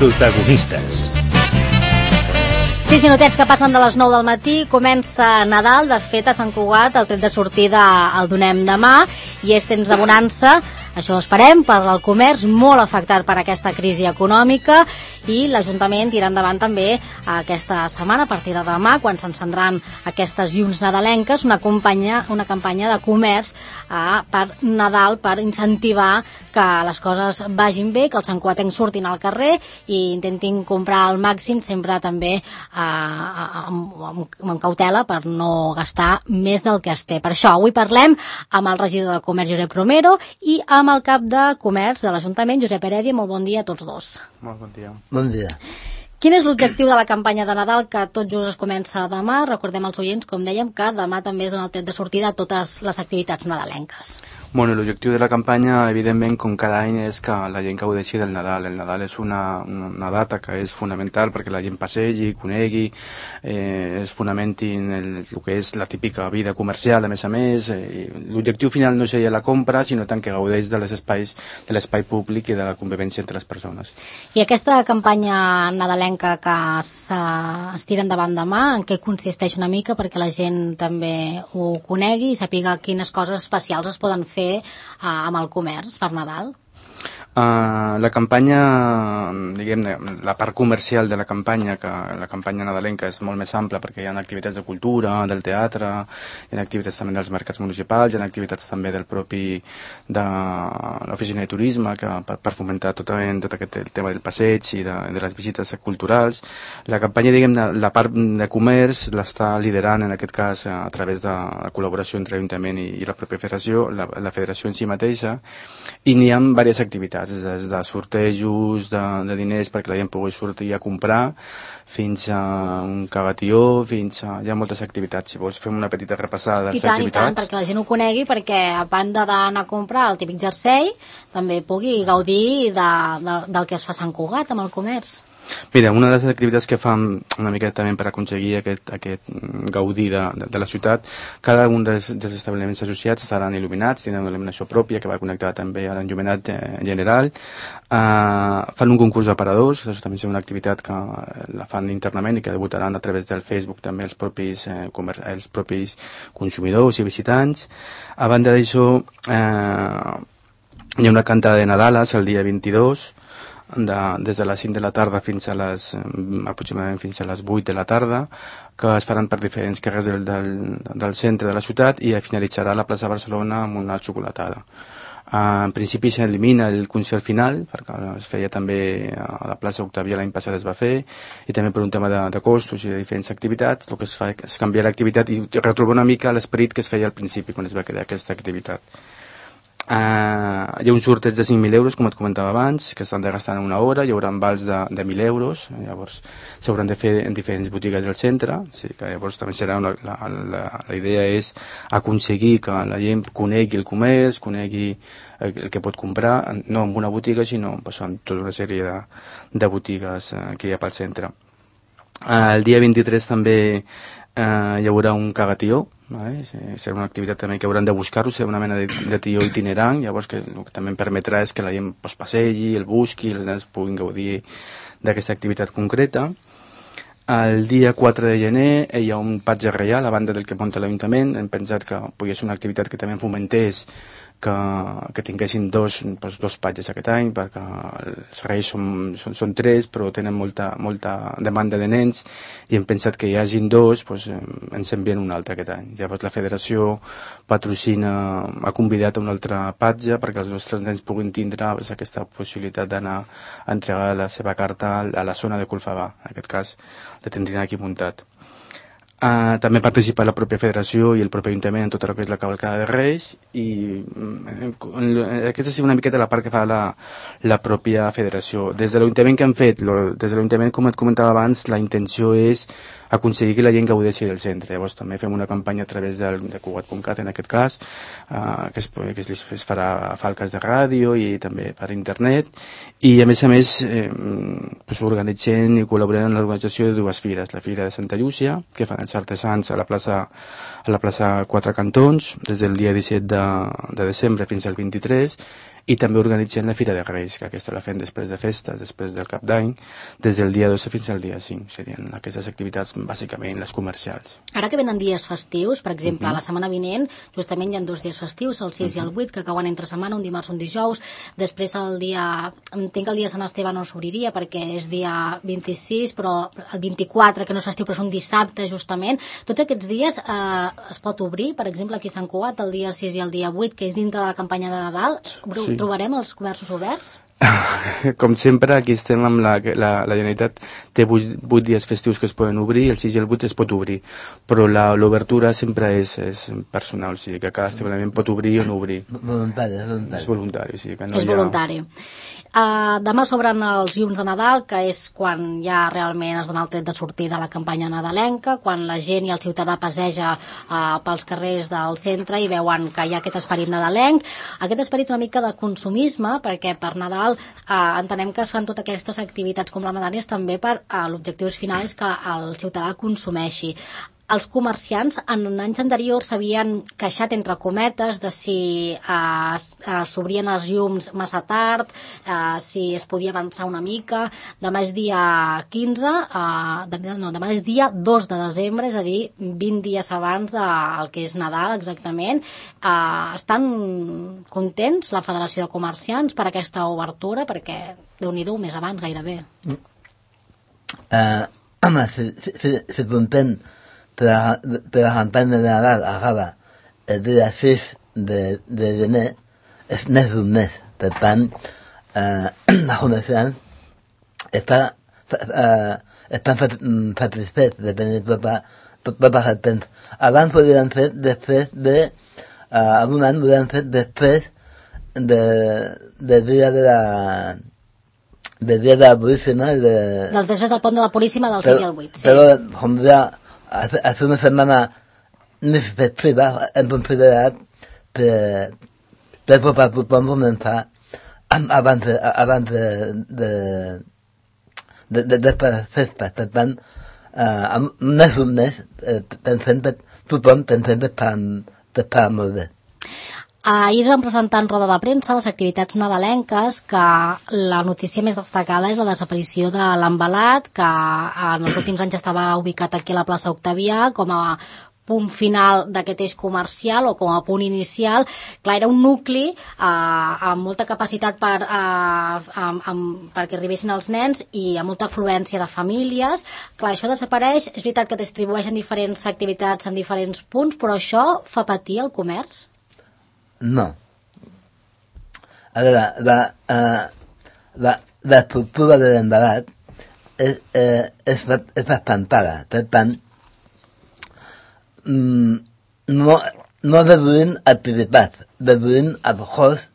Protagonistes. 6 minutets que passen de les 9 del matí, comença Nadal. De fet, a Sant Cugat el tret de sortida el donem demà i és temps de bonança. Això esperem per al comerç, molt afectat per aquesta crisi econòmica, i l'Ajuntament tirà endavant també aquesta setmana, a partir de demà, quan s'encendran aquestes llums nadalenques, una campanya de comerç per Nadal, per incentivar que les coses vagin bé, que els santcugatencs surtin al carrer i intentin comprar al màxim, sempre també amb cautela per no gastar més del que es té. Per això avui parlem amb el regidor de Comerç, Josep Romero, i amb el cap de Comerç de l'Ajuntament, Josep Heredia. Molt bon dia a tots dos. Molt bon dia. Bon dia. Quin és l'objectiu de la campanya de Nadal, que tot just es comença demà? Recordem als oients, com dèiem, que demà també és el tret de sortida a totes les activitats nadalenques. Bueno, l'objectiu de la campanya, evidentment, com cada any, és que la gent gaudeixi del Nadal. El Nadal és una data que és fonamental perquè la gent passegi, conegui, es fonamenti en el que és la típica vida comercial, a més. L'objectiu final no seria la compra, sinó tant que gaudeix de l'espai públic i de la convivència entre les persones. I aquesta campanya nadalenca que es tira endavant demà, en què consisteix una mica perquè la gent també ho conegui i sàpiga quines coses especials es poden fer amb el comerç per Nadal? La campanya, diguem-ne, la part comercial de la campanya, que la campanya nadalenca és molt més ampla perquè hi ha activitats de cultura, del teatre, hi ha activitats també dels mercats municipals, hi ha activitats també del propi de l'oficina de turisme per fomentar tot aquest tema del passeig i de les visites culturals. La campanya, diguem-ne, la part de comerç l'està liderant en aquest cas a través de la col·laboració entre l'Ajuntament i la pròpia federació, la federació en si mateixa, i n'hi ha diverses activitats, des de sortejos de diners perquè la gent pugui sortir a comprar, fins a un cavatió, hi ha moltes activitats. Si vols fem una petita repassada de les activitats. I tant, perquè la gent ho conegui, perquè a banda d'anar a comprar el típic jersei, també pugui gaudir del que es fa a Sant Cugat amb el comerç. Mira, una de les activitats que fan una miqueta també per aconseguir aquest gaudir de la ciutat, cada un dels establiments associats estaran il·luminats, tenen una il·luminació pròpia que va connectar també a l'enllumenat general. Fan un concurs d'aparadors, això també és una activitat que la fan internament i que debutaran a través del Facebook també els propis consumidors i visitants. A banda d'això, hi ha una cantada de Nadales el dia 22, des de les 5 de la tarda aproximadament fins a les 8 de la tarda, que es faran per diferents carrers del centre de la ciutat i finalitzarà a la plaça Barcelona amb una xocolatada. En principi s'elimina el concert final, perquè es feia també a la plaça Octàvia l'any passat es va fer, i també per un tema de costos i de diferents activitats, el que es fa és canviar l'activitat i retrobar una mica l'esperit que es feia al principi quan es va crear aquesta activitat. Hi ha un sorteig de 5.000 euros, com et comentava abans, que s'han de gastar en una hora, hi haurà vals de 1.000 euros, llavors s'hauran de fer en diferents botigues del centre, que llavors també serà la idea és aconseguir que la gent conegui el comerç, conegui el que pot comprar, no en una botiga, sinó en tota una sèrie de botigues que hi ha pel centre. El dia 23 també hi haurà un cagatió, serà una activitat també que hauran de buscar-ho, serà una mena de tió itinerant, llavors que el que també em permetrà és que la gent passegi, el busqui, els nens puguin gaudir d'aquesta activitat concreta. El dia 4 de gener hi ha un patge reial a banda del que munta l'Ajuntament. Hem pensat que podia ser una activitat que també fomentés que tinguessin dos patges aquest any, perquè els reis són 3, però tenen molta demanda de nens, i hem pensat que hi hagin 2, ens envien un altre aquest any. Llavors la federació ha convidat a un altre patge perquè els nostres nens puguin tindre aquesta possibilitat d'anar a entregar la seva carta a la zona de Colfabà. En aquest cas la tindrien aquí muntat. També participa la pròpia federació i el propi Ajuntament en tot el que és la cavalcada de Reis, i aquesta és una miqueta la part que fa la pròpia federació. Des de l'Ajuntament que han fet, com et comentava abans, la intenció és aconseguir que la gent gaudeixi del centre. Llavors també fem una campanya a través de Cugat.cat, en aquest cas, que es farà a falques de ràdio i també per internet, i a més organitzem i col·laborem en l'organització de dues fires, la Fira de Santa Llúcia, que fan els artesans a la plaça Quatre Cantons des del dia 17 de desembre fins al 23, i també organitzem la Fira de Reis, que aquesta la fem després de festes, després del Cap d'Any, des del dia 12 fins al dia 5. Serien aquestes activitats bàsicament les comercials. Ara que venen dies festius, per exemple, la setmana vinent, justament hi ha 2 dies festius, el 6 i el 8, que cauen entre setmana, un dimarts, un dijous, després el dia... Entenc que el dia de Sant Esteve no s'obriria perquè és dia 26, però el 24, que no és festiu, però és un dissabte, justament. Tots aquests dies es pot obrir, per exemple, aquí a Sant Cugat, el dia 6 i el dia 8, que és dintre de la campanya de Nadal. Sí. Trobarem els comerços oberts? Com sempre, aquí estem amb la Generalitat té 8 dies festius que es poden obrir, el 6 i el 8 es pot obrir, però l'obertura sempre és personal, o sigui que cada establiment pot obrir o no obrir. És voluntari. O sigui que no és voluntari. Demà s'obren els llums de Nadal, que és quan ja realment es dona el tret de sortida a la campanya nadalenca, quan la gent i el ciutadà passeja pels carrers del centre i veuen que hi ha aquest esperit nadalenc, aquest esperit una mica de consumisme, perquè per Nadal entenem que es fan totes aquestes activitats complementàries també per l'objectiu final és que el ciutadà consumeixi. Els comerciants en anys anteriors s'havien queixat entre cometes de si s'obrien els llums massa tard, si es podia avançar una mica. Demà és dia 15, demà és dia 2 de desembre, és a dir, 20 dies abans del que és Nadal exactament. Estan contents la Federació de Comerciants per aquesta obertura, perquè Déu-n'hi-do, més abans gairebé. Home, si content per la campanya de Nadal acaba el dia 6 de gener, és més d'un mes. Per tant, els comerciants estan satisfets de tenir tot el temps. Abans podien fer després de... algun any podien fer després del dia de la... del dia de la Puríssima... Després del pont de la Puríssima del 6 i el 8, sí. Però, com ja... hace una semana més festiva hem considerat per poder començar abans de festes. Per tant, més un mes pensem que tothom pensem que està molt bé. Ahir es van presentar en roda de premsa les activitats nadalenques, que la notícia més destacada és la desaparició de l'Envelat, que en els últims anys estava ubicat aquí a la plaça Octavià com a punt final d'aquest eix comercial o com a punt inicial. Clar, era un nucli amb molta capacitat perquè arribessin els nens i amb molta afluència de famílies. Clar, això desapareix. És veritat que distribueixen diferents activitats en diferents punts, però això fa patir el comerç? No. A veure, l'estructura de l'Envelat és espantada. Per tant, no reduïm activitats, reduïm el cost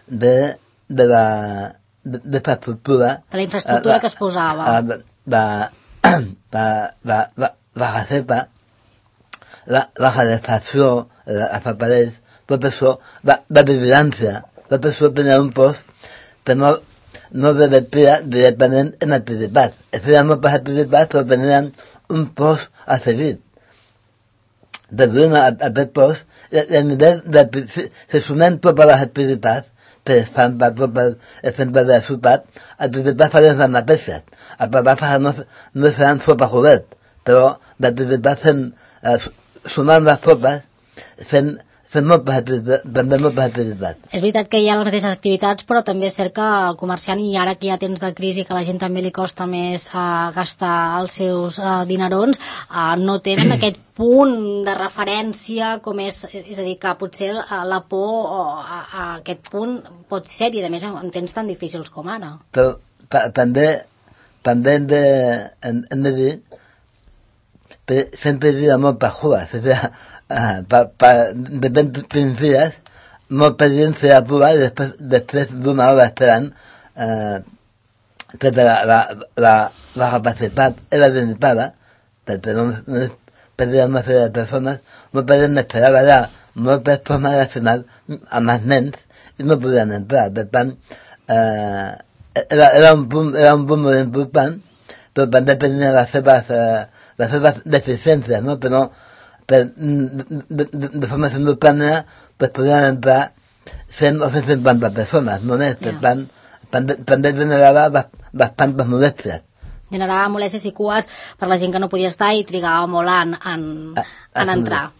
de l'estructura. De la infraestructura que es posava. La recepta, la calefacció, els aparells, tot això, la vigilància, tot això tenia un post que no revertia directament en activitats. Es feien moltes activitats, però tenien un post a seguir. Reduïm aquest post, i a nivell se sumem totes les activitats, per exemple, tot exemple de la ciutat, activitats farien les mateixes. A vegades no seran sota cobert, però l'activitat sumant les totes, fent moltes activitats. És veritat que hi ha les mateixes activitats, però també és cert que el comerciant, i ara que hi ha temps de crisi, que a la gent també li costa més gastar els seus dinerons, no tenen aquest punt de referència com és a dir, que potser la por a aquest punt pot ser, i a més en temps tan difícils com ara. Però també hem de dir que sempre hi ha moltes cures, és a dir, de 20 dies molta gent se atura i després d'una hora esperant que la capacitat era limitada perquè no perdien una sèrie de persones, molta gent esperava allà moltes persones al final amb els nens i no podien entrar. Per tant, era un punt molt important, però també tenia les seves deficiències, no? Però de forma simultània pues podien entrar 100 o 150 persones, només, per tant, també generava bastantes molèsties. Generava molèsties i cues per la gent que no podia estar i trigava molt en entrar.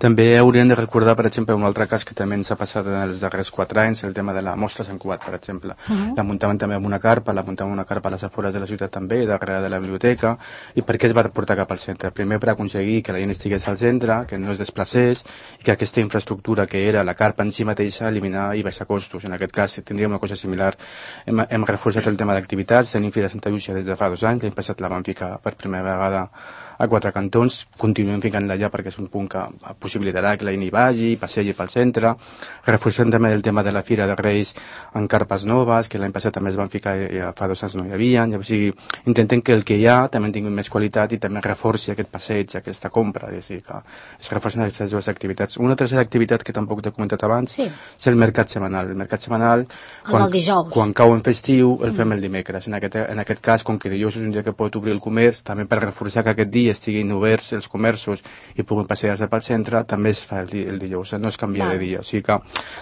També hauríem de recordar, per exemple, un altre cas que també ens ha passat en els darrers 4 anys, el tema de la Mostra Sant Cugat, per exemple. La muntaven també amb una carpa, a les afores de la ciutat també, darrere de la biblioteca. I per què es va portar cap al centre? Primer per aconseguir que la gent estigués al centre, que no es desplacés, i que aquesta infraestructura que era la carpa en si mateixa eliminar i baixar costos. En aquest cas tindríem una cosa similar. Hem reforçat el tema d'activitats, tenim Fira Santa Llúcia des de fa 2 anys, l'any passat la vam ficar per primera vegada a 4 cantons, continuem ficant-la allà perquè és un punt que possibilitarà que la gent hi vagi, passegi pel centre. Reforcem també el tema de la Fira de Reis en carpes noves, que l'any passat també es van ficar i fa 2 anys no hi havia. O sigui, intentem que el que hi ha també tingui més qualitat i també reforci aquest passeig, aquesta compra, és a dir, que es reforcen aquestes dues activitats. Una tercera activitat que tampoc t'he comentat abans és el mercat setmanal. El mercat setmanal, quan cau en festiu, el fem el dimecres. En aquest cas, com que dijous és un dia que pot obrir el comerç, també per reforçar que aquest dia estiguin oberts els comerços i puguin passejar-se pel centre, també es fa el dijous, no es canvia de dia. O sigui que,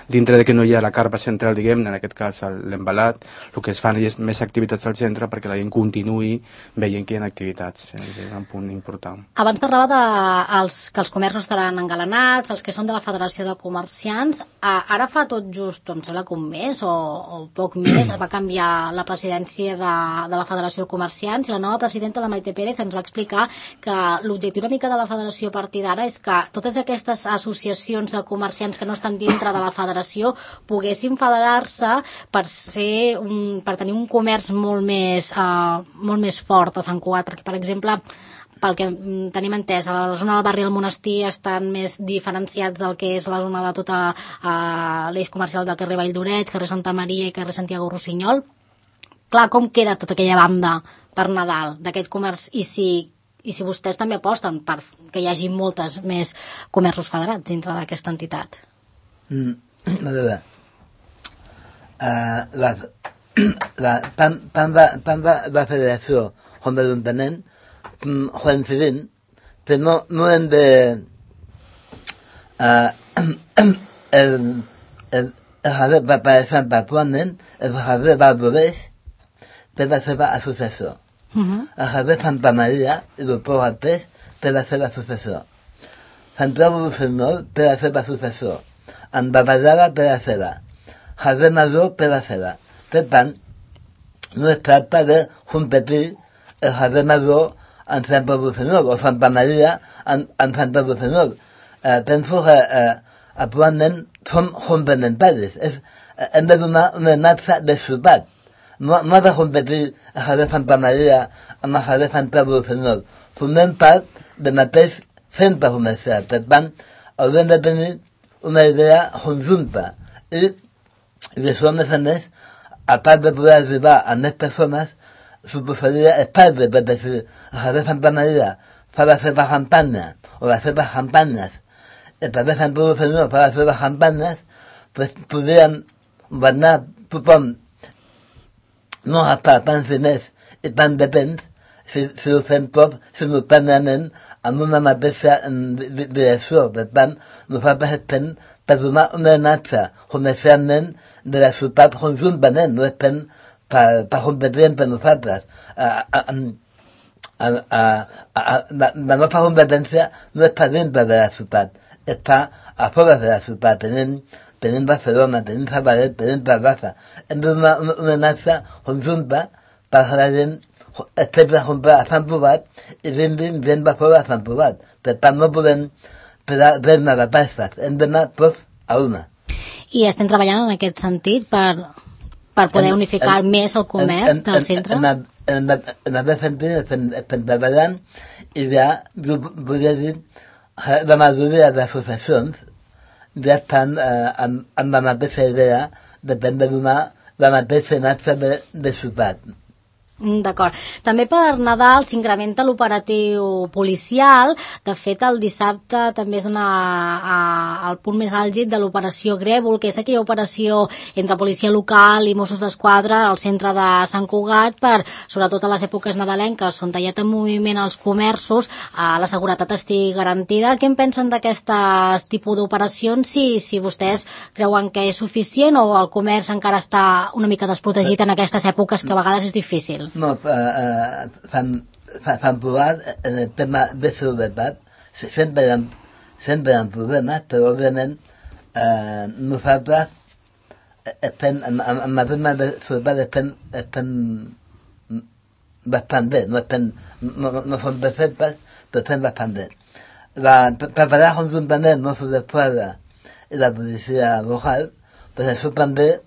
dintre de que no hi ha la carpa central, diguem-ne, en aquest cas l'embalat, el que es fan és més activitats al centre perquè la gent continuï veient que hi ha activitats. És un punt important. Abans parlava que els comerços estaran engalanats, els que són de la Federació de Comerciants. Ara fa tot just, em sembla que un mes o poc més, va canviar la presidència de la Federació de Comerciants i la nova presidenta, la Maite Pérez, ens va explicar que l'objectiu una mica de la federació a partir d'ara és que totes aquestes associacions de comerciants que no estan dintre de la federació poguessin federar-se per tenir un comerç molt més fort a Sant Cugat, perquè per exemple pel que tenim entès, a la zona del barri del Monestir estan més diferenciats del que és la zona de tota l'eix comercial del carrer Vall d'Oreig, carrer Santa Maria i carrer Santiago Rossinyol. Clar, com queda tota aquella banda per Nadal d'aquest comerç i si vostès també aposten per que hi hagi moltes més comerços federats dintre d'aquesta entitat? A veure, tant la federació com l'Ajuntament coincidint, però no hem de per exemple, actualment el carrer Vall d'Oreig per la seva associació. El carrer Santa Maria i el Port al Peix per la seva associació. Santiago Rossinyol per la seva associació. Andavallada per la seva. Carrer Major per la seva. Per tant, no es tracta de competir el carrer Major en Santa Rossinyol o Santa Maria en Santa Rossinyol. Penso que actualment som complementaris. Hem de donar una imatge de ciutat. No ha de competir el carrer Santa Maria amb el carrer Santa Rossinyol. Formem part del mateix centre comercial. Per tant, haurem de tenir una idea conjunta. I això, a més, a part de poder arribar a més persones, suposaria espais, perquè si el carrer Santa Maria fa la seva campanya o les seves campanyes, el carrer Santa Rossinyol fa les seves campanyes, doncs podríem guanyar tothom no gastar tants diners i tant de temps si ho fem tot simultàniament amb una mateixa direcció. Per tant, nosaltres estem per donar una imatge comercialment de la ciutat conjuntament, no estem per competir entre nosaltres. La nostra competència no està dintre de la ciutat, està a fora de la ciutat. Tenim Barcelona, tenim Sabadell, tenim Terrassa. Hem de donar una imatge conjunta per que la gent estigui a comprar a Sant Cugat i vinguin gent de fora a Sant Cugat. Per tant, no podem fer-ne de tasques, hem d'anar tots a una. I estem treballant en aquest sentit per poder unificar més el comerç del centre? En aquest sentit estem treballant i ja, jo podria dir, la majoria d'associacions ja estan amb la mateixa idea de donar la mateixa imatge de ciutat. D'acord. També per Nadal s'incrementa l'operatiu policial. De fet, el dissabte també és el punt més àlgid de l'operació Grèvol, que és aquella operació entre policia local i Mossos d'Esquadra al centre de Sant Cugat per, sobretot a les èpoques nadalenques, on tallat en moviment els comerços, la seguretat estigui garantida. Què en pensen d'aquest tipus d'operacions? Si vostès creuen que és suficient o el comerç encara està una mica desprotegit en aquestes èpoques que a vegades és difícil? No, fan provat en el tema de seguretat. Sempre hi ha problemes, però òbviament nosaltres amb el tema de seguretat estem bastant bé. No som perfectes, però estem bastant bé. Preparar conjuntament Mossos d'Esquadra i la policia local, per això també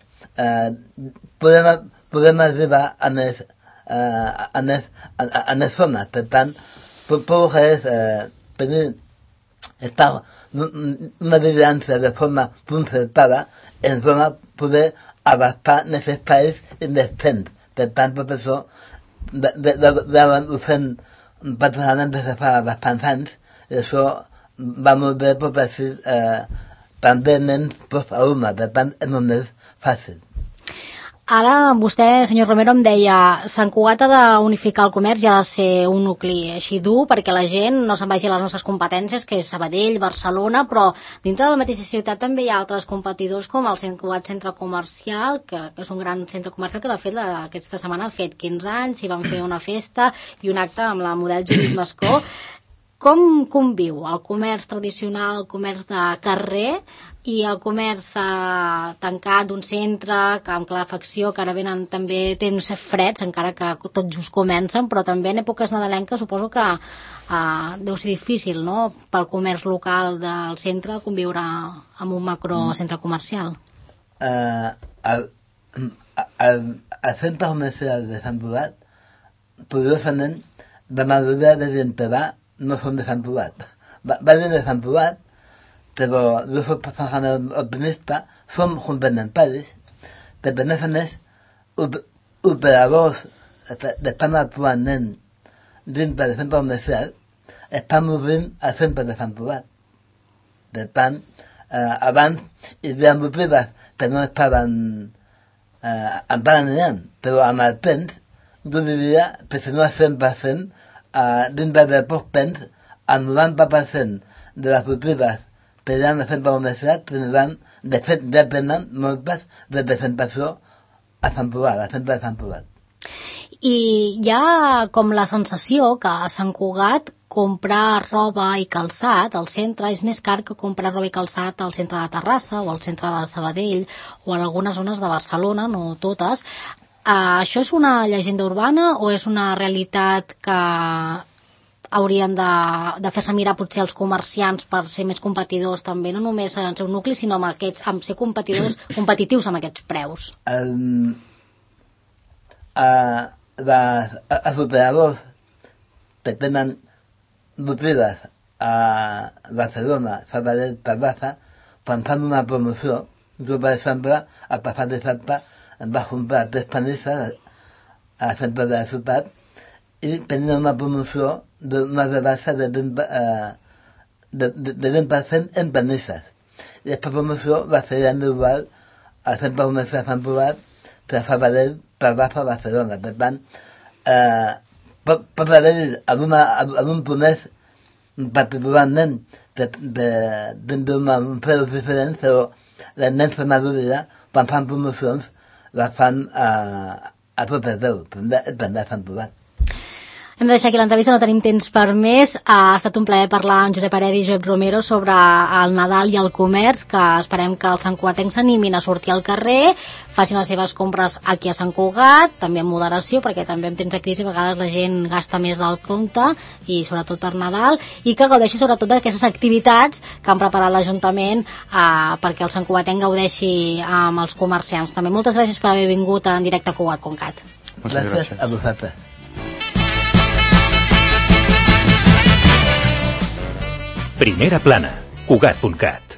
podem arribar a les zones. Per tant, tot és estar una vigilància de forma concertada en zona poder abastar els espais i els temps. Per tant, tot això ho fem particularment des de fa bastants anys, i això va molt bé per així també nens post-alumnes. Per tant, és molt més fàcil. Ara vostè, senyor Romero, em deia Sant Cugat ha d'unificar el comerç i ha de ser un nucli així dur perquè la gent no se'n vagi a les nostres competències, que és Sabadell, Barcelona, però dintre de la mateixa ciutat també hi ha altres competidors com el Sant Cugat Centre Comercial, que és un gran centre comercial que de fet aquesta setmana ha fet 15 anys i van fer una festa i un acte amb la model Judit Mascó. Com conviu el comerç tradicional, el comerç de carrer i el comerç tancat d'un centre, amb calefacció, que ara venen també temps freds, encara que tot just comencen, però també en èpoques nadalenques suposo que deu ser difícil, no?, pel comerç local del centre conviure amb un macrocentre comercial. El centre comercial de Sant Cugat, curiosament, la majoria de gent que va no són de Sant Cugat. Va de Sant Cugat, però los optimistas son complementarios, però a més, operadors que estan actualment dins del centre comercial estan obrint al centre de Sant Cugat. Per tant, abans hi havia botigues que no estaven encara aniran, però amb el temps jo diria que si no el 100%, dins del poc temps, el 90% de les botigues que hi ha al centre comercial tindran, de fet, depenen moltes representació a Sant Cugat, al centre de Sant Cugat. I hi ha com la sensació que a Sant Cugat comprar roba i calçat al centre és més car que comprar roba i calçat al centre de Terrassa o al centre de Sabadell o en algunes zones de Barcelona, no totes. Això és una llegenda urbana o és una realitat que haurien de fer-se mirar potser els comerciants per ser més competidors també, no només en el seu nucli, sinó amb ser competitius amb aquests preus? Els operadors que tenen botigues a Barcelona, Sabadell, Terrassa, quan fan una promoció, jo, per exemple, al passat dissabte em vaig comprar 3 panisses al centre de la ciutat i tenia una promoció d'una rebaixa de 20% en panisses. I aquesta promoció va ser igual al centre comercial de Sant Cugat, per Sabadell, Terrassa, Barcelona. Per tant, pot haver-hi algun promès particularment d'un preu diferent, però la immensa majoria, quan fan promocions, les fan a tot arreu, també a Sant Cugat. Hem de deixar aquí l'entrevista, no tenim temps per més. Ha estat un plaer parlar amb Josep Aredi i Josep Romero sobre el Nadal i el comerç, que esperem que els santcugatencs s'animin a sortir al carrer, facin les seves compres aquí a Sant Cugat, també amb moderació, perquè també en temps de crisi a vegades la gent gasta més del compte, i sobretot per Nadal, i que gaudeixi sobretot d'aquestes activitats que han preparat l'Ajuntament perquè el santcugatenc gaudeixi amb els comerciants. També moltes gràcies per haver vingut en directe a Cugat.cat. Gràcies a vosaltres. Primera plana, Cugat.cat.